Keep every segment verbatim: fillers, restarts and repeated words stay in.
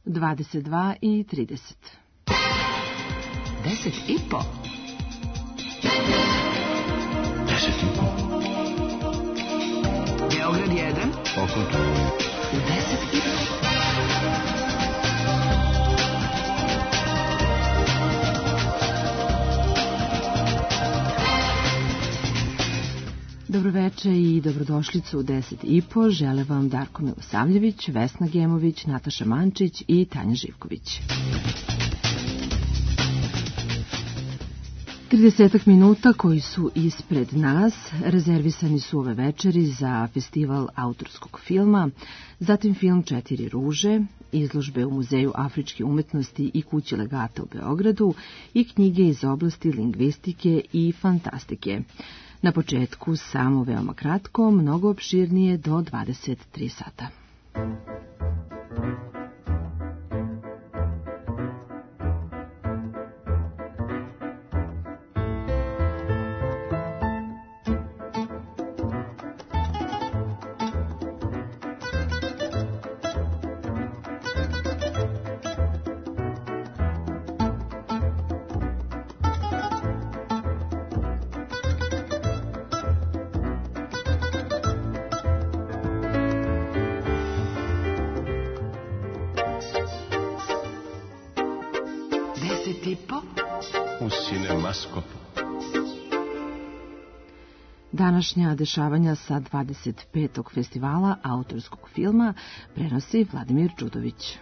dvadeset dva i trideset. Deset i po. Deset i po. Beograd jedan. Oko to. U deset i po. Dobroveče i dobrodošlicu u deset i po žele vam Darko Milosavljević, Vesna Gemović, Nataša Mančić i Tanja Živković. tridesetak minuta koji su ispred nas rezervisani su ove večeri za festival autorskog filma, zatim film Četiri ruže, izložbe u Muzeju afričke umetnosti i Kući legata u Beogradu i knjige iz oblasti lingvistike i fantastike. Na početku samo veoma kratko, mnogo opširnije do dvadeset tri sata. Današnja dešavanja sa dvadeset petog festivala autorskog filma prenosi Vladimir Đudović.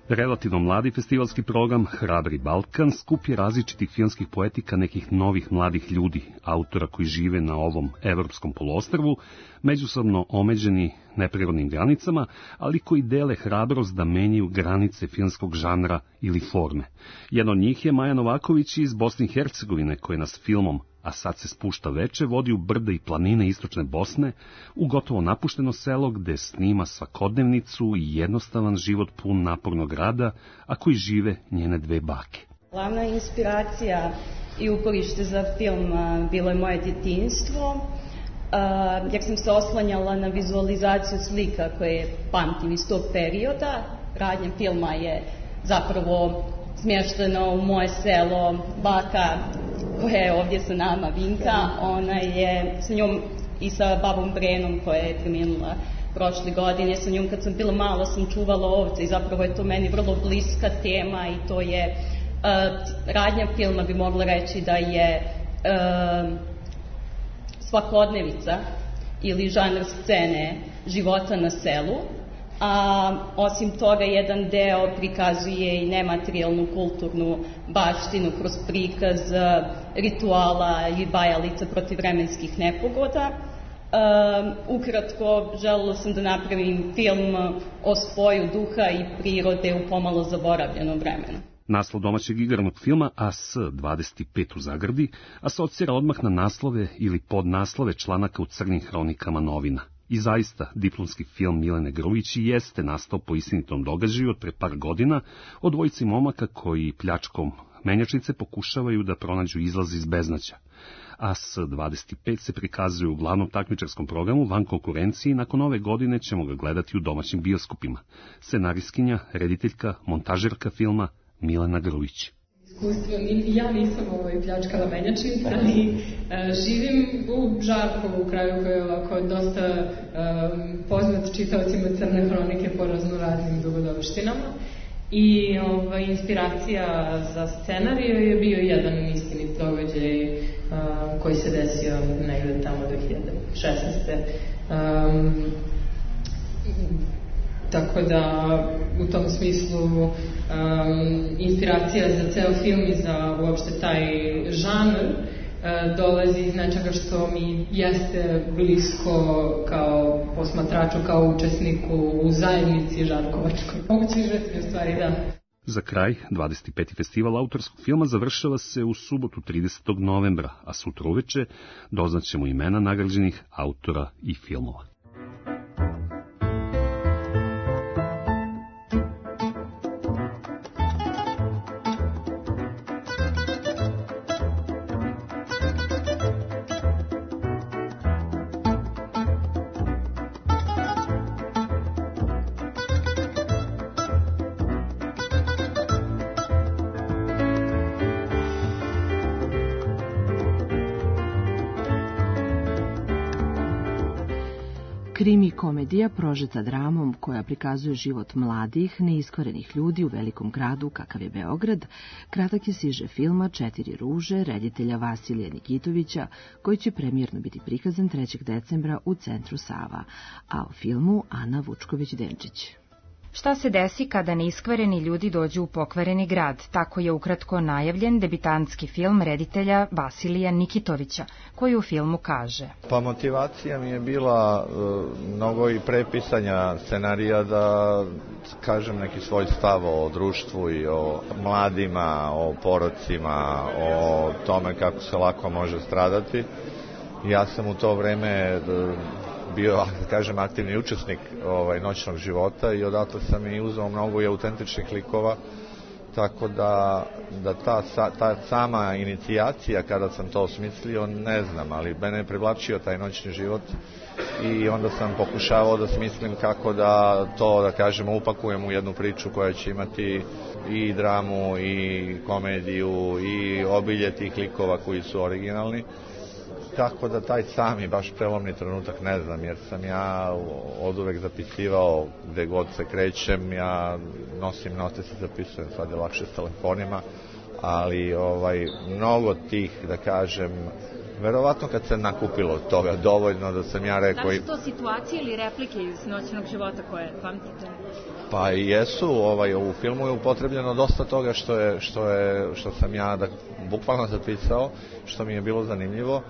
Relativno mladi festivalski program Hrabri Balkan skup je različitih filmskih poetika nekih novih mladih ljudi, autora koji žive na ovom evropskom poluostrvu, međusobno omeđeni neprirodnim granicama, ali koji dele hrabrost da menjaju granice filmskog žanra ili forme. Jedan od njih je Maja Novaković iz Bosne i Hercegovine, koji nas filmom A sad se spušta veče vodi u brda i planine istočne Bosne, u gotovo napušteno selo gde snima svakodnevnicu i jednostavan život pun napornog rada, a koji žive njene dve bake. Glavna inspiracija i uporište za film bilo je moje djetinjstvo, jer sam se oslanjala na vizualizaciju slika koje pamtim iz tog perioda. Radnja filma je zapravo smješteno u moje selo. Baka koja je ovdje sa nama, Vinka, ona je sa njom i sa babom Brenom koja je preminula prošle godine. Sa njom kad sam bila mala sam čuvala ovce i zapravo je to meni vrlo bliska tema i to je uh, radnja filma bi mogla reći da je uh, svakodnevica ili žanr scene života na selu. A osim toga jedan deo prikazuje i nematerijalnu kulturnu baštinu kroz prikaz rituala i bajalica protiv vremenskih nepogoda. Um, ukratko, želela sam da napravim film o spoju duha i prirode u pomalo zaboravljenom vremenu. Naslov domaćeg igranog filma A S dvadeset pet u zagradi asocira odmah na naslove ili podnaslove članaka u crnim hronikama novina. I zaista, diplomski film Milene Grujić jeste nastao po istinitom događaju od pre par godina o dvojici momaka koji pljačkom menjačnice pokušavaju da pronađu izlaz iz beznađa. A S dvadeset pet se prikazuje u glavnom takmičarskom programu van konkurencije i nakon ove godine ćemo ga gledati u domaćim bioskopima. Scenariskinja, rediteljka, montažerka filma Milena Grujić. Iskustvo, ja nisam ovaj pljačkala menjačnice, ali uh, živim u Žarkovu, u kraju koji je ovako dosta um, poznat čitaocima Crne hronike po raznoraznim dogodovštinama. I ovaj, inspiracija za scenariju je bio jedan istinit događaj uh, koji se desio negde tamo dve hiljade šesnaeste. Um, Tako da, u tom smislu, um, inspiracija za ceo film i za uopšte taj žanr uh, dolazi iz nečega što mi jeste blisko kao posmatraču, kao učesniku u zajednici žarkovačkoj. Moguće žetvi u stvari, da. Za kraj, dvadeset peti festival autorskog filma završava se u subotu tridesetog novembra, a sutra uveče doznaćemo imena nagrađenih autora i filmova. Krimi komedija prožeta dramom koja prikazuje život mladih, neiskvarenih ljudi u velikom gradu kakav je Beograd, kratak je siže filma Četiri ruže reditelja Vasilija Nikitovića, koji će premijerno biti prikazan trećeg decembra u Centru Sava, a o filmu Ana Vučković-Denčić. Šta se desi kada neiskvareni ljudi dođu u pokvareni grad? Tako je ukratko najavljen debitantski film reditelja Vasilija Nikitovića, koji u filmu kaže: Pa motivacija mi je bila uh, mnogo i prepisanja scenarija da kažem neki svoj stav o društvu i o mladima, o porocima, o tome kako se lako može stradati. Ja sam u to vreme uh, bio, da kažem, aktivni učesnik ovaj, noćnog života i odatle sam i uzeo mnogo i autentičnih likova, tako da, da ta, ta sama inicijacija kada sam to osmislio, ne znam, ali mene je privlačio taj noćni život i onda sam pokušavao da smislim kako da to, da kažemo, upakujem u jednu priču koja će imati i dramu i komediju i obilje tih likova koji su originalni. Tako da taj sami baš prelomni trenutak ne znam, jer sam ja od uvek zapisivao gde god se krećem, ja nosim note, se zapisujem, sad je lakše s telefonima, ali ovaj, mnogo tih, da kažem, verovatno kad se nakupilo toga dovoljno da sam ja rekao... Da li su to situacije ili replike iz noćnog života koje pamtite? Pa i jesu, ovaj, u filmu je upotrebljeno dosta toga što, je, što, je, što sam ja da, bukvalno zapisao, što mi je bilo zanimljivo.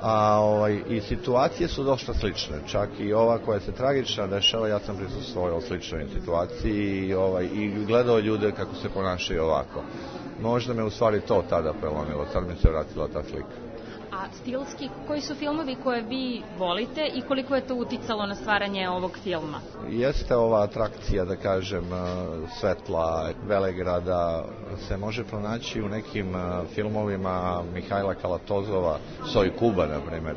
A ovaj, i situacije su dosta slične, čak i ova koja se tragična dešava, ja sam prisustvovao sličnoj situaciji i, ovaj, i gledao ljude kako se ponašaju ovako. Možda me u stvari to tada prelomilo, sad mi se vratila ta slika. A stilski, koji su filmovi koje vi volite i koliko je to uticalo na stvaranje ovog filma? Jeste ova atrakcija, da kažem, svetla, Velegrada, se može pronaći u nekim filmovima Mihajla Kalatozova, Soj Kuba, na primjer.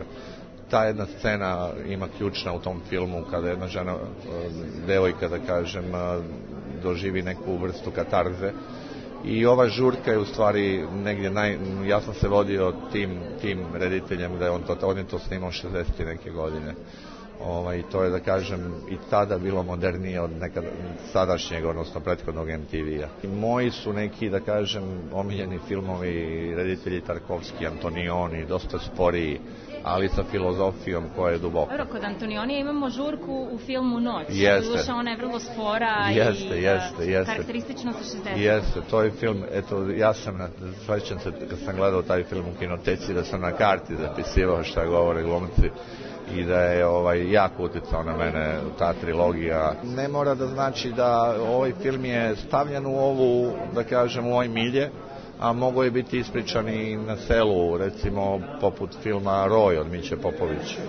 Ta jedna scena ima ključna u tom filmu kada jedna žena, devojka, da kažem, doživi neku vrstu katarze. I ova žurka je u stvari negdje naj... Ja sam se vodio tim, tim rediteljem da je on to, on je to snimao šezdeset neke godine. Ovaj, to je, da kažem, i tada bilo modernije od nekad sadašnjeg, odnosno prethodnog em te ve-a. Moji su neki, da kažem, omiljeni filmovi, reditelji Tarkovski, Antonioni, dosta sporiji, ali sa filozofijom koja je duboka. Evo, kod Antonionija imamo žurku u filmu Noć. Jeste. Doduša, ona je vrlo spora jeste, i jeste, jeste. karakteristično sa šezdeset. Jeste, to je film, eto, ja sam, svećam se kad sam gledao taj film u kinoteci, da sam na karti zapisivao šta govore glumci i da je ovaj, jako uticao na mene ta trilogija. Ne mora da znači da ovaj film je stavljen u ovu, da kažem, u ovoj milje, a mogo je biti ispričan i na selu, recimo poput filma Roj od Miće Popovića.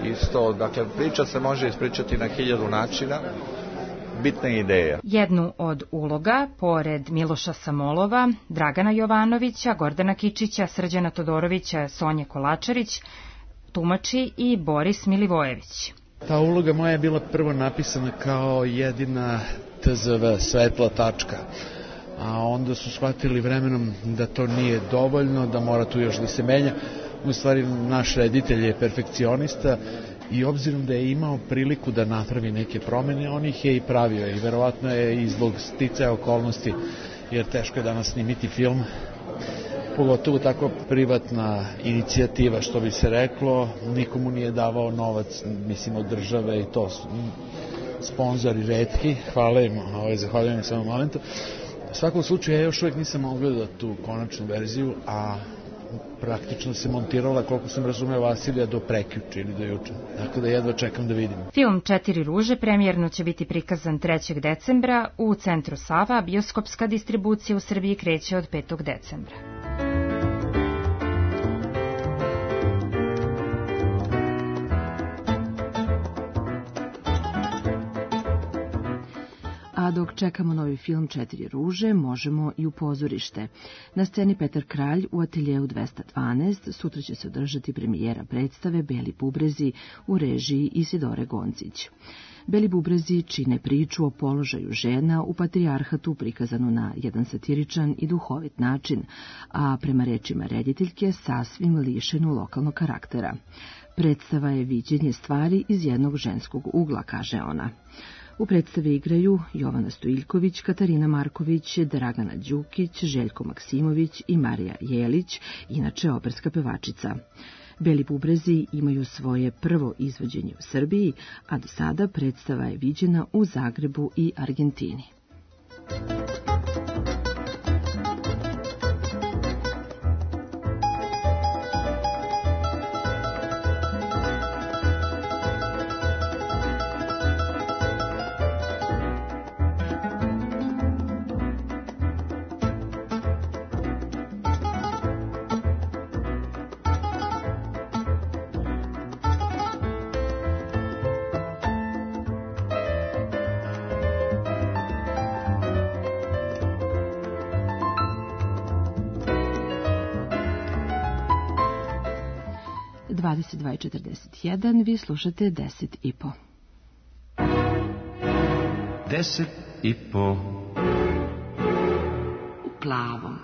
Isto, dakle, priča se može ispričati na hiljadu načina, bitna ideja. Jednu od uloga, pored Miloša Samolova, Dragana Jovanovića, Gordana Kičića, Srđana Todorovića, Sonje Kolačarić, tumači i Boris Milivojević. Ta uloga moja je bila prvo napisana kao jedina te zve svetla tačka, a onda su shvatili vremenom da to nije dovoljno, da mora tu još da se menja. U stvari, naš reditelj je perfekcionista i obzirom da je imao priliku da napravi neke promene, on ih je i pravio i verovatno je i zbog sticaja okolnosti, jer teško je danas snimiti film, pogotovo tako privatna inicijativa, što bi se reklo, nikomu nije davao novac, mislim, od države i to su sponzori retki, hvala im, ovaj, zahvaljujem im samo momentu. U svakom slučaju, ja još uvijek nisam mogao gledati tu konačnu verziju, a praktično se montirala, koliko sam razumeo, Vasilija do prekjuče ili do juče. Tako da jedva čekam da vidim. Film Četiri ruže premijerno će biti prikazan trećeg decembra u Centru Sava, a bioskopska distribucija u Srbiji kreće od petog decembra. A dok čekamo novi film Četiri ruže, možemo i u pozorište. Na sceni Petar Kralj u ateljeu dvesta dvanaest sutra će se održati premijera predstave Beli bubrezi u režiji Isidore Goncić. Beli bubrezi čine priču o položaju žena u patrijarhatu prikazanu na jedan satiričan i duhovit način, a prema rečima rediteljke sasvim lišenu lokalnog karaktera. Predstava je viđenje stvari iz jednog ženskog ugla, kaže ona. U predstavi igraju Jovana Stojiljković, Katarina Marković, Dragana Đukić, Željko Maksimović i Marija Jelić, inače operska pevačica. Beli bubrezi imaju svoje prvo izvođenje u Srbiji, a do sada predstava je viđena u Zagrebu i Argentini. dvadeset dva i četrdeset jedan, vi slušate deset i po. Deset i po. U plavom.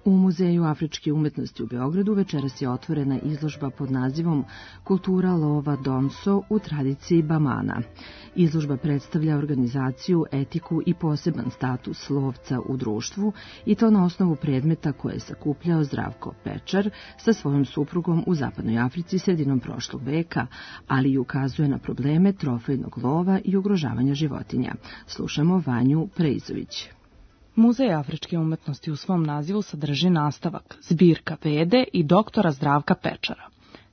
U Muzeju afričke umetnosti u Beogradu večeras je otvorena izložba pod nazivom Kultura lova Donso u tradiciji Bamana. Izložba predstavlja organizaciju, etiku i poseban status lovca u društvu, i to na osnovu predmeta koje je sakupljao Zdravko Pečar sa svojom suprugom u Zapadnoj Africi sredinom prošlog veka, ali i ukazuje na probleme trofejnog lova i ugrožavanja životinja. Slušamo Vanju Preizović. Muzej afričke umetnosti u svom nazivu sadrži nastavak, zbirka Vede i doktora Zdravka Pečara.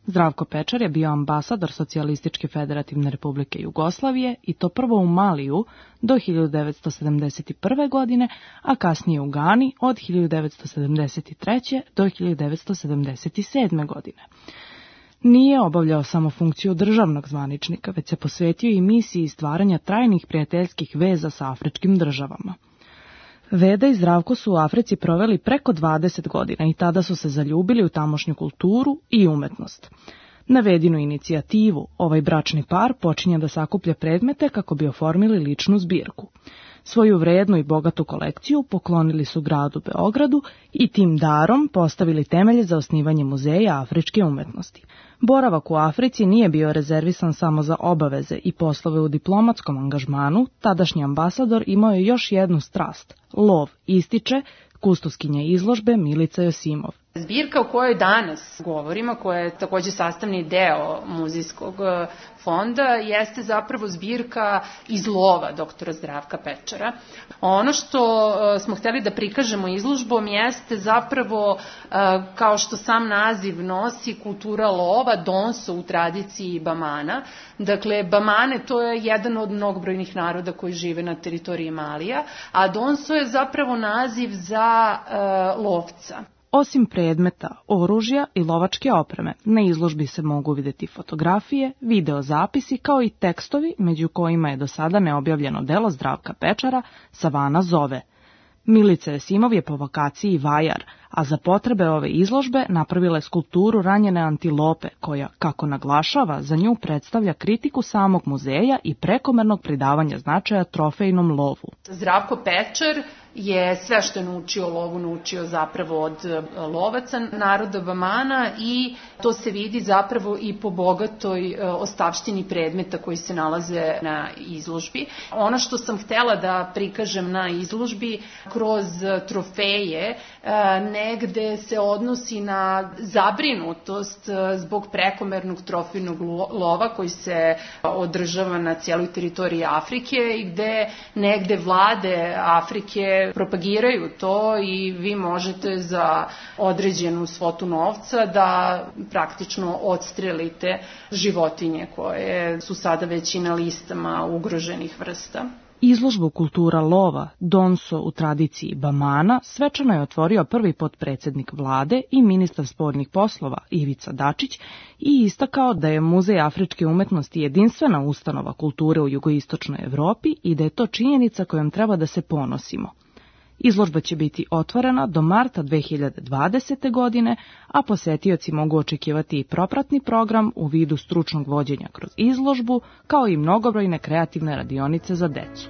Zdravko Pečar je bio ambasador Socijalističke federativne republike Jugoslavije i to prvo u Maliju do hiljadu devetsto sedamdeset prve. godine, a kasnije u Gani od hiljadu devetsto sedamdeset treće. do hiljadu devetsto sedamdeset sedme. godine. Nije obavljao samo funkciju državnog zvaničnika, već se posvetio i misiji stvaranja trajnih prijateljskih veza sa afričkim državama. Veda i Zdravko su u Africi proveli preko dvadeset godina i tada su se zaljubili u tamošnju kulturu i umetnost. Na Vedinu inicijativu ovaj bračni par počinje da sakuplja predmete kako bi oformili ličnu zbirku. Svoju vrednu i bogatu kolekciju poklonili su gradu Beogradu i tim darom postavili temelje za osnivanje Muzeja afričke umetnosti. Boravak u Africi nije bio rezervisan samo za obaveze i poslove u diplomatskom angažmanu, tadašnji ambasador imao je još jednu strast, lov, ističe kustoskinja izložbe Milica Josimov. Zbirka o kojoj danas govorimo, koja je također sastavni deo muzejskog fonda, jeste zapravo zbirka iz lova doktora Zdravka Pečara. Ono što smo hteli da prikažemo izložbom jeste zapravo, kao što sam naziv nosi, kultura lova, donso u tradiciji Bamana. Dakle, Bamane to je jedan od mnogobrojnih naroda koji žive na teritoriji Malija, a donso je zapravo naziv za uh, lovca. Osim predmeta, oružja i lovačke opreme, na izložbi se mogu vidjeti fotografije, videozapisi kao i tekstovi, među kojima je do sada neobjavljeno delo Zdravka Pečara Savana zove. Milica Josimov je po vokaciji vajar, a za potrebe ove izložbe napravila je skulpturu ranjene antilope, koja, kako naglašava, za nju predstavlja kritiku samog muzeja i prekomernog pridavanja značaja trofejnom lovu. Zdravko Pečar je sve što je naučio o lovu naučio zapravo od lovaca naroda Bamana i to se vidi zapravo i po bogatoj ostavštini predmeta koji se nalaze na izložbi. Ono što sam htela da prikažem na izložbi kroz trofeje negde se odnosi na zabrinutost zbog prekomernog trofejnog lova koji se održava na cijeloj teritoriji Afrike i gde negde vlade Afrike propagiraju to i vi možete za određenu svotu novca da praktično odstrelite životinje koje su sada već i na listama ugroženih vrsta. Izložbu kultura lova, donso u tradiciji Bamana, svečano je otvorio prvi potpredsjednik vlade i ministar spoljnih poslova Ivica Dačić i istakao da je Muzej afričke umetnosti jedinstvena ustanova kulture u jugoistočnoj Evropi i da je to činjenica kojom treba da se ponosimo. Izložba će biti otvorena do marta dve hiljade dvadesete. godine, a posetioci mogu očekivati i propratni program u vidu stručnog vođenja kroz izložbu, kao i mnogobrojne kreativne radionice za decu.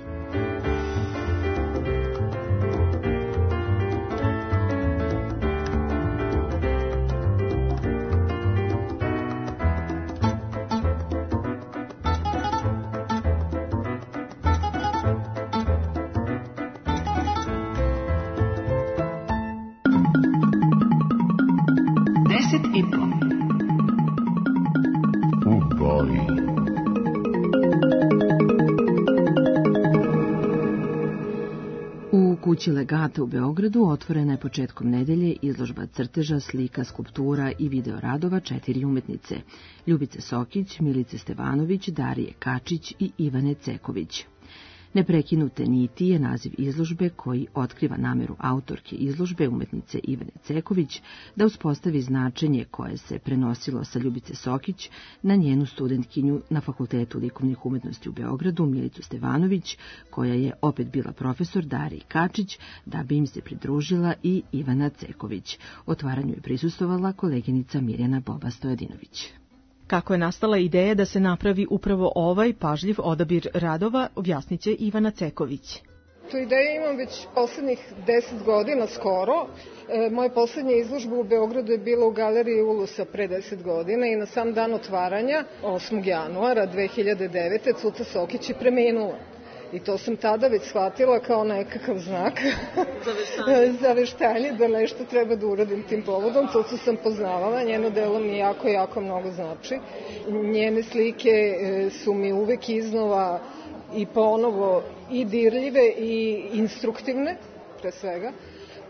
kući Legata u Beogradu otvorena je početkom nedelje izložba crteža, slika, skulptura i video radova četiri umetnice: Ljubice Sokić, Milice Stevanović, Darije Kačić i Ivane Ceković. Neprekinute niti je naziv izložbe koji otkriva nameru autorke izložbe, umetnice Ivane Ceković, da uspostavi značenje koje se prenosilo sa Ljubice Sokić na njenu studentkinju na Fakultetu likovnih umetnosti u Beogradu, Milicu Stevanović, koja je opet bila profesor Dariji Kačić, da bi im se pridružila i Ivana Ceković. Otvaranju je prisustvovala koleginica Mirjana Boba Stojadinović. Kako je nastala ideja da se napravi upravo ovaj pažljiv odabir radova, objasniće Ivana Ceković. Tu ideju imam već poslednjih deset godina skoro. E, moja poslednja izložba u Beogradu je bila u galeriji Ulusa pre deset godina i na sam dan otvaranja, osmog januara dve hiljade devete. Cuca Sokić je preminula. I to sam tada već shvatila kao nekakav znak za veštanje, da nešto treba da uradim tim povodom. Cucu sam poznavala, njeno delo mi jako, jako mnogo znači. Njene slike su mi uvek iznova i ponovo i dirljive i instruktivne, pre svega.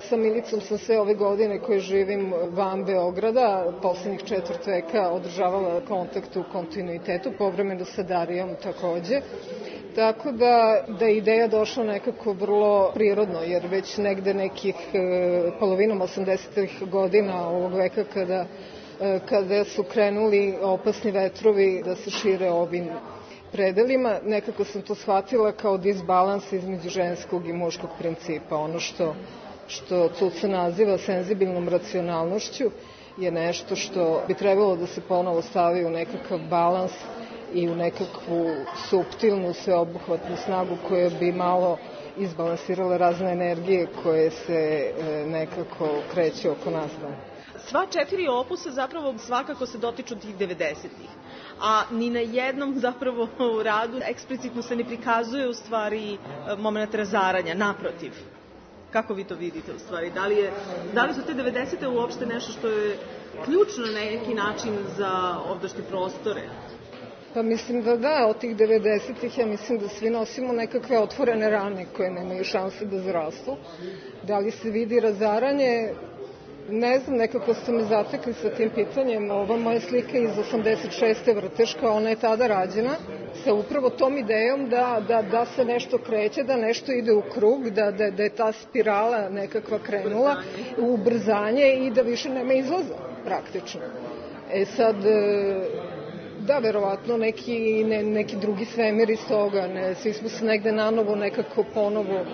Sa Milicom sam sve ove godine koje živim van Beograda, poslednjih četvrt veka, održavala kontakt u kontinuitetu, povremeno sa Darijom takođe. Tako da, da je ideja došla nekako vrlo prirodno, jer već negde nekih e, polovinom osamdesetih godina ovog veka kada, e, kada su krenuli opasni vetrovi da se šire ovim predelima, nekako sam to shvatila kao disbalans između ženskog i muškog principa. Ono što, što Cuca naziva senzibilnom racionalnošću je nešto što bi trebalo da se ponovo stavi u nekakav balans i u nekakvu suptilnu, sveobuhvatnu snagu koja bi malo izbalansirala razne energije koje se nekako kreću oko nas. Sva četiri opusa zapravo svakako se dotiču tih devedesetih, a ni na jednom zapravo u radu eksplicitno se ne prikazuje u stvari moment razaranja, naprotiv. Kako vi to vidite u stvari? Da li, je, da li su te devedesete uopšte nešto što je ključno na neki način za ovdašnje prostore? Pa mislim da da, od tih devedesetih ja mislim da svi nosimo nekakve otvorene rane koje nemaju šanse da zrastu. Da li se vidi razaranje? Ne znam, nekako ste me zatekli sa tim pitanjem. Ova moja slika iz osamdeset šeste vrteška, ona je tada rađena sa upravo tom idejom da, da, da se nešto kreće, da nešto ide u krug, da, da, da je ta spirala nekakva krenula u ubrzanje i da više nema izlaza praktično. E sad, da, verovatno neki, ne, neki drugi svemir iz toga, ne, svi smo se negde nanovo nekako ponovo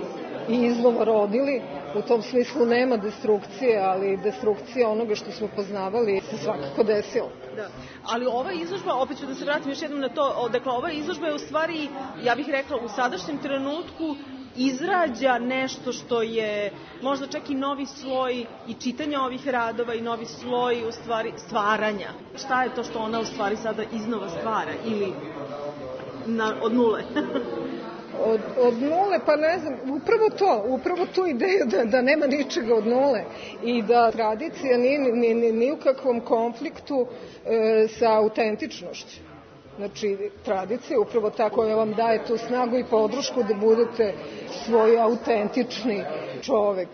i iznova rodili. U tom smislu nema destrukcije, ali destrukcija onoga što smo poznavali se svakako desila. Da. Ali ova izložba, opet ću da se vratim još jednom na to, dakle ova izložba je u stvari, ja bih rekla, u sadašnjem trenutku izrađa nešto što je možda čak i novi sloj i čitanja ovih radova i novi sloj u stvari stvaranja. Šta je to što ona u stvari sada iznova stvara ili na, od nule? Od, od nule, pa ne znam, upravo to, upravo tu ideju da, da nema ničega od nule i da tradicija nije ni, ni, ni u kakvom konfliktu e, sa autentičnošću. Znači, tradicija je upravo ta koja vam daje tu snagu i podršku da budete svoj autentični čovek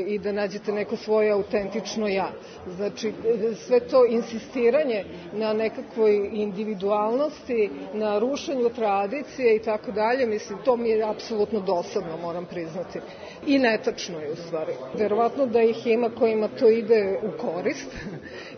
i da nađete neko svoje autentično ja. Znači, sve to insistiranje na nekakvoj individualnosti, na rušenju tradicije i tako dalje, mislim, to mi je apsolutno dosadno, moram priznati. I netačno je u stvari. Verovatno da ih ima kojima to ide u korist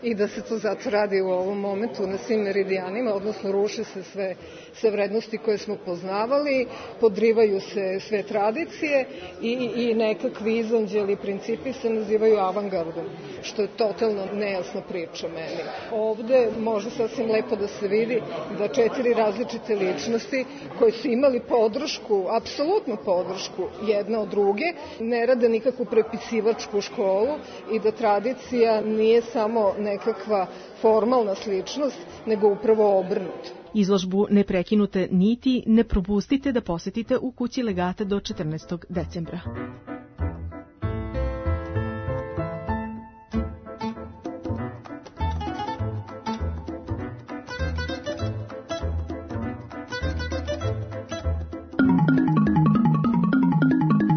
i da se to zato radi u ovom momentu na svim meridijanima, odnosno ruše se sve, sve vrednosti koje smo poznavali, podrivaju se sve tradicije i, i nekakvi izanđeli principi se nazivaju avangardom, što je totalno nejasna priča meni. Ovde može sasvim lepo da se vidi da četiri različite ličnosti koje su imali podršku, apsolutnu podršku jedna od druge, ne rade nikakvu prepisivačku školu i da tradicija nije samo nekakva formalna sličnost, nego upravo obrnuto. Izložbu Neprekinute niti ne propustite da posetite u kući Legata do četrnaestog decembra.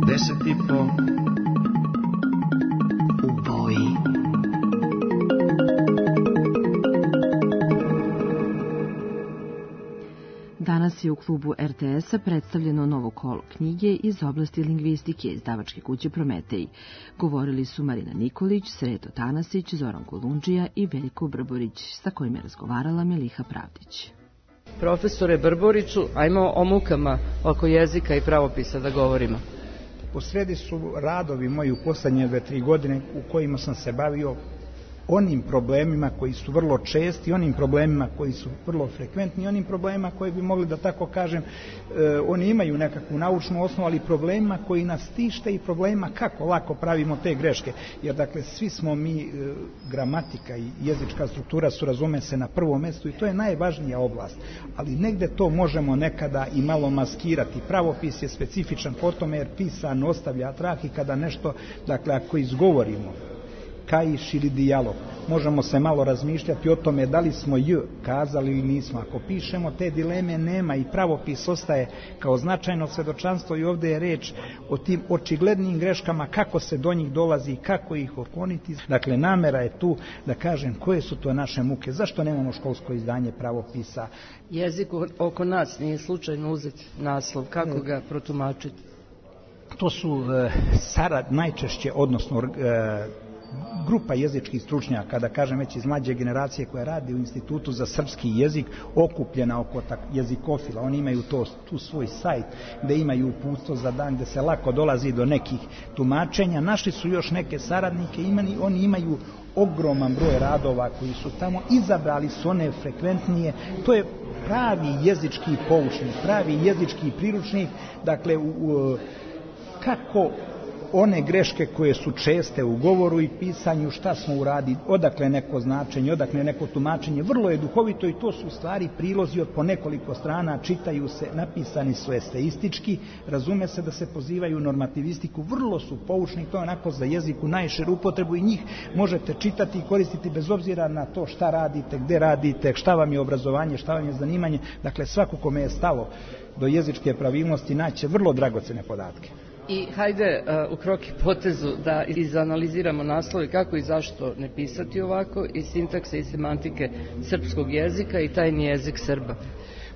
Deset i po. U boji. Danas je u klubu er te es-a predstavljeno novo kolo knjige iz oblasti lingvistike izdavačke kuće Prometej. Govorili su Marina Nikolić, Sreto Tanasić, Zoran Kolundžija i Veljko Brborić, sa kojim je razgovarala Miliha Pravdić. Profesore Brboriću, ajmo o mukama oko jezika i pravopisa da govorimo. U sredi su radovi moji u poslednje dve, tri godine u kojima sam se bavio onim problemima koji su vrlo česti, onim problemima koji su vrlo frekventni, onim problemima koji bi mogli da tako kažem, e, oni imaju nekakvu naučnu osnovu, ali problemima koji nas tište i problemima kako lako pravimo te greške. Jer dakle, svi smo mi, e, gramatika i jezička struktura su, razume se, na prvom mestu i to je najvažnija oblast. Ali negde to možemo nekada i malo maskirati. Pravopis je specifičan po tome jer pisan ostavlja trag i kada nešto, dakle, ako izgovorimo, kaiš ili dijalog, možemo se malo razmišljati o tome da li smo j kazali ili nismo. Ako pišemo, te dileme nema i pravopis ostaje kao značajno svedočanstvo i ovde je reč o tim očiglednim greškama, kako se do njih dolazi, kako ih okloniti. Dakle, namera je tu da kažem koje su to naše muke, zašto nemamo školsko izdanje pravopisa. Jezik oko nas nije slučajno uzeti naslov, kako ga protumačiti? To su e, sarad najčešće, odnosno e, grupa jezičkih stručnjaka, da kažem već iz mlađe generacije koja radi u Institutu za srpski jezik, okupljena oko tak jezikofila. Oni imaju to, tu svoj sajt gde imaju uputstvo za dan, gde se lako dolazi do nekih tumačenja. Našli su još neke saradnike, imani, oni imaju ogroman broj radova koji su tamo, izabrali su one frekventnije. To je pravi jezički poučnik, pravi jezički priručnik, dakle u, u, kako one greške koje su česte u govoru i pisanju, šta smo uradili, odakle neko značenje, odakle neko tumačenje, vrlo je duhovito i to su u stvari prilozi od po nekoliko strana, čitaju se, napisani su eseistički, razume se da se pozivaju u normativistiku, vrlo su poučni, to je onako za jeziku najširu upotrebu i njih možete čitati i koristiti bez obzira na to šta radite, gde radite, šta vam je obrazovanje, šta vam je zanimanje, dakle svako kome je stalo do jezičke pravilnosti naće vrlo dragocene podatke. I hajde uh, u krok i potezu da izanaliziramo naslove kako i zašto ne pisati ovako, i sintakse i semantike srpskog jezika i tajni jezik Srba.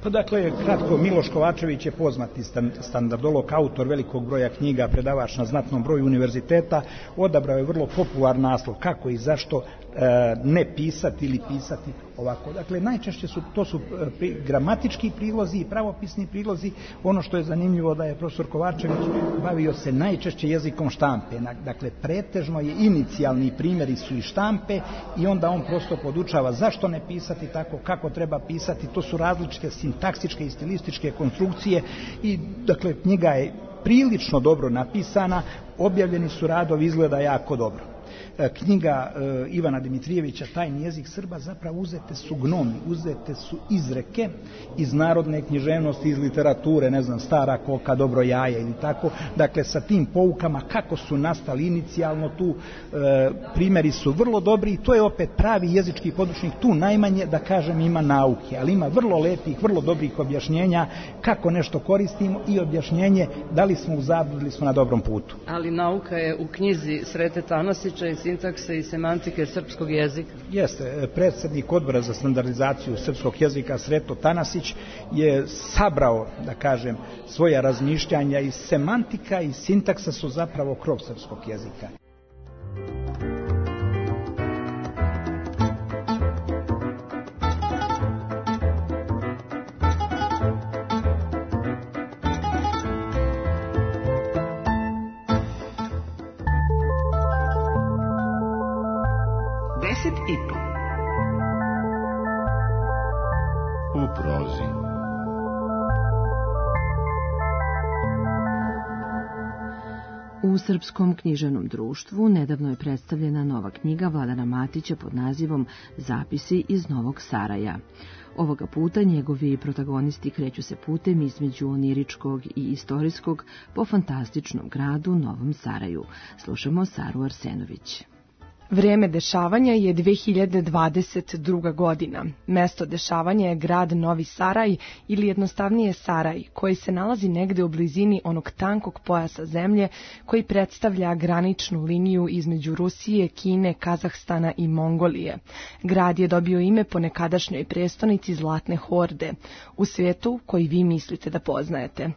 Pa dakle, kratko, Miloš Kovačević je poznati standardolog, autor velikog broja knjiga, predavač na znatnom broju univerziteta, odabrao je vrlo popularan naslov kako i zašto e, ne pisati ili pisati ovako. Dakle, najčešće su, to su pri, gramatički prilozi i pravopisni prilozi. Ono što je zanimljivo da je profesor Kovačević bavio se najčešće jezikom štampe. Dakle, pretežno je inicijalni primjeri su i štampe i onda on prosto podučava zašto ne pisati tako, kako treba pisati. To su različite sintaksičke i stilističke konstrukcije i dakle, knjiga je prilično dobro napisana, objavljeni su radovi, izgleda jako dobro. Knjiga e, Ivana Dimitrijevića Tajni jezik Srba, zapravo uzete su gnomi, uzete su izreke iz narodne književnosti, iz literature, ne znam, Stara koka, dobro jaje ili tako, dakle sa tim poukama kako su nastali inicijalno, tu e, primjeri su vrlo dobri i to je opet pravi jezički područnik, tu najmanje da kažem ima nauke, ali ima vrlo lepih, vrlo dobrih objašnjenja kako nešto koristimo i objašnjenje da li smo u zabludi ili smo na dobrom putu. Ali nauka je u knjizi Srete Tanasića i sintakse i semantike srpskog jezika. Jeste, predsjednik odbora za standardizaciju srpskog jezika Sreto Tanasić je sabrao, da kažem, svoja razmišljanja i semantika i sintaksa su zapravo krov srpskog jezika. I po. U prozi. U Srpskom književnom društvu nedavno je predstavljena nova knjiga Vladana Matića pod nazivom Zapisi iz Novog Saraja. Ovoga puta njegovi protagonisti kreću se putem između oniričkog i istorijskog po fantastičnom gradu Novom Saraju. Slušamo Saru Arsenović. Vreme dešavanja je dve hiljade dvadeset druga. godina. Mesto dešavanja je grad Novi Saraj ili jednostavnije Saraj, koji se nalazi negde u blizini onog tankog pojasa zemlje koji predstavlja graničnu liniju između Rusije, Kine, Kazahstana i Mongolije. Grad je dobio ime po nekadašnjoj prestonici Zlatne horde, u svijetu koji vi mislite da poznajete.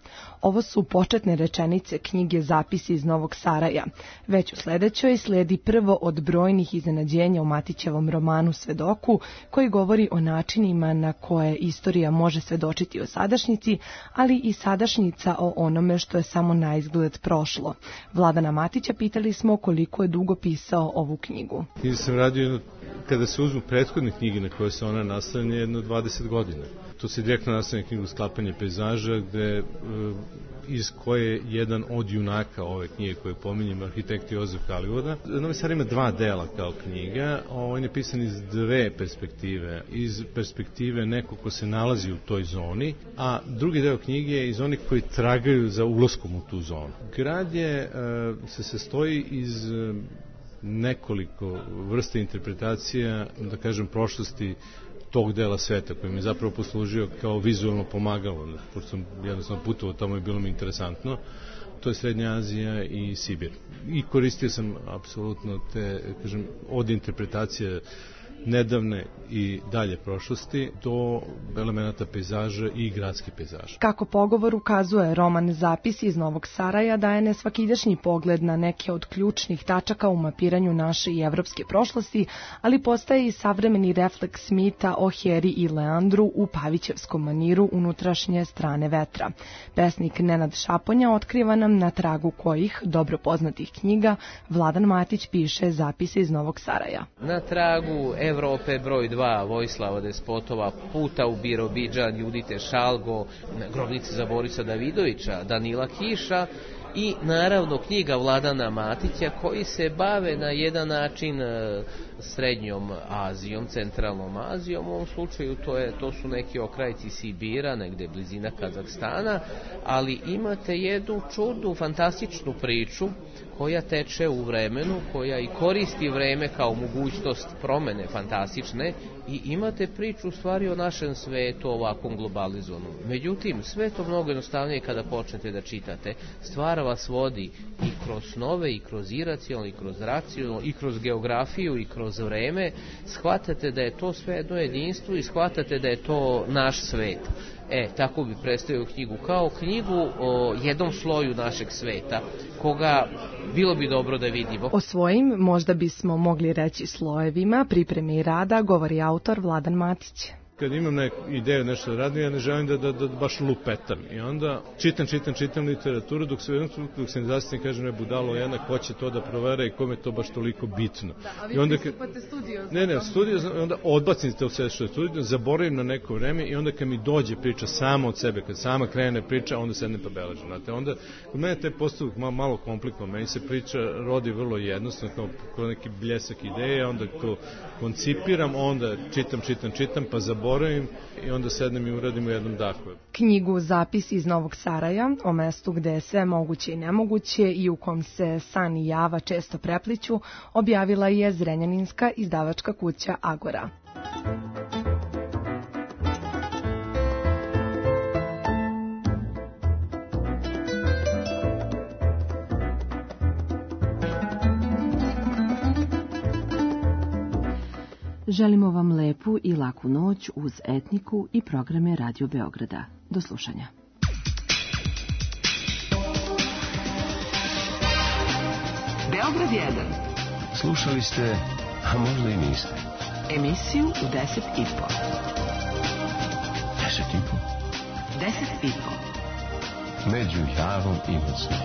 Ovo su početne rečenice knjige Zapisi iz Novog Saraja. Već u sledećoj sledi prvo od brojnih iznenađenja u Matićevom romanu Svedoku, koji govori o načinima na koje istorija može svedočiti o sadašnjici, ali i sadašnjica o onome što je samo na izgled prošlo. Vladana Matića pitali smo koliko je dugo pisao ovu knjigu. Knjigu sam radio jedno, kada se uzmu prethodne knjige na koje se ona nastavlja, jedno dvadeset godina. To se direktno nastavlja knjigu Sklapanje pejzaža, gde, iz koje jedan od junaka ove knjige koje pominjem, arhitekt Jozef Halivoda. Novi Saraj ima dva dela kao knjiga, on je pisan iz dve perspektive. Iz perspektive nekog ko se nalazi u toj zoni, a drugi deo knjige je iz onih koji tragaju za ulaskom u tu zonu. Grad je, se sastoji iz nekoliko vrsta interpretacija, da kažem, prošlosti tog dela sveta koji mi je zapravo poslužio kao vizualno pomagalo, pošto sam jednostavno putovao tamo i bilo mi interesantno. To je Srednja Azija i Sibir. I koristio sam apsolutno te, kažem, od interpretacije nedavne i dalje prošlosti do elemenata pejzaža i gradski pejzaž. Kako pogovor ukazuje, roman Zapisi iz Novog Saraja daje nesvakidašnji pogled na neke od ključnih tačaka u mapiranju naše i evropske prošlosti, ali postaje i savremeni refleks mita o Heri i Leandru u Pavićevskom maniru unutrašnje strane vetra. Pesnik Nenad Šaponja otkriva nam na tragu kojih, dobro poznatih knjiga, Vladan Matić piše Zapise iz Novog Saraja. Na tragu Evrope broj dva Vojislava Despotova, Puta u Birobidžan, Judite Šalgo, Grobnice za Borisa Davidovića, Danila Kiša i naravno knjiga Vladana Matića koji se bave na jedan način Srednjom Azijom, Centralnom Azijom. U ovom slučaju to, je, to su neki okrajci Sibira, negde blizina Kazahstana, ali imate jednu čudnu, fantastičnu priču koja teče u vremenu, koja i koristi vreme kao mogućnost promene fantastične i imate priču u stvari o našem svetu ovakvom globalizovanom. Međutim, sve to mnogo jednostavnije kada počnete da čitate. Stvar vas vodi i kroz snove, i kroz iracionalno, i kroz racionalno, i kroz geografiju, i kroz vreme. Shvatate da je to sve jedno jedinstvo i shvatate da je to naš svet. E, tako bi predstavio knjigu, kao knjigu o jednom sloju našeg sveta, koga bilo bi dobro da vidimo. O svojim, možda bismo mogli reći slojevima, pripreme i rada, govori autor Vladan Matić. Kad imam neku ideju nešto da radim, ja ne želim da, da, da baš lupetam. I onda čitam, čitam, čitam literaturu, dok se jednom trenutku, dok se ne zastavim, kažem, ne budalo jedna, ko će to da provera i kome je to baš toliko bitno. Da, a vi I onda, pristupate studiozno. Ne, ne, studiozno, onda odbacim to sve što je studiozno, zaboravim na neko vreme i onda kad mi dođe priča sama od sebe, kad sama krene priča, onda sednem pa beležem. Znate, onda, kod mene taj postupak malo, malo komplikovan, meni se priča rodi vrlo jednostavno, kao, kao neki bljesak ideje, onda to koncipiram, onda čitam, čitam, čitam, pa zaboravim i onda sednem i uradim u jednom dahu. Knjigu Zapisi iz Novog Saraja, o mestu gde je sve moguće i nemoguće i u kom se san i java često prepliću, objavila je zrenjaninska izdavačka kuća Agora. Želimo vam lepu i laku noć uz Etniku i programe Radio Beograda. Do slušanja. Beograd jedan. Slušali ste, a možda i niste. Emisiju u deset i po. Deset i po? Deset i po. Među Javom i Mocnom.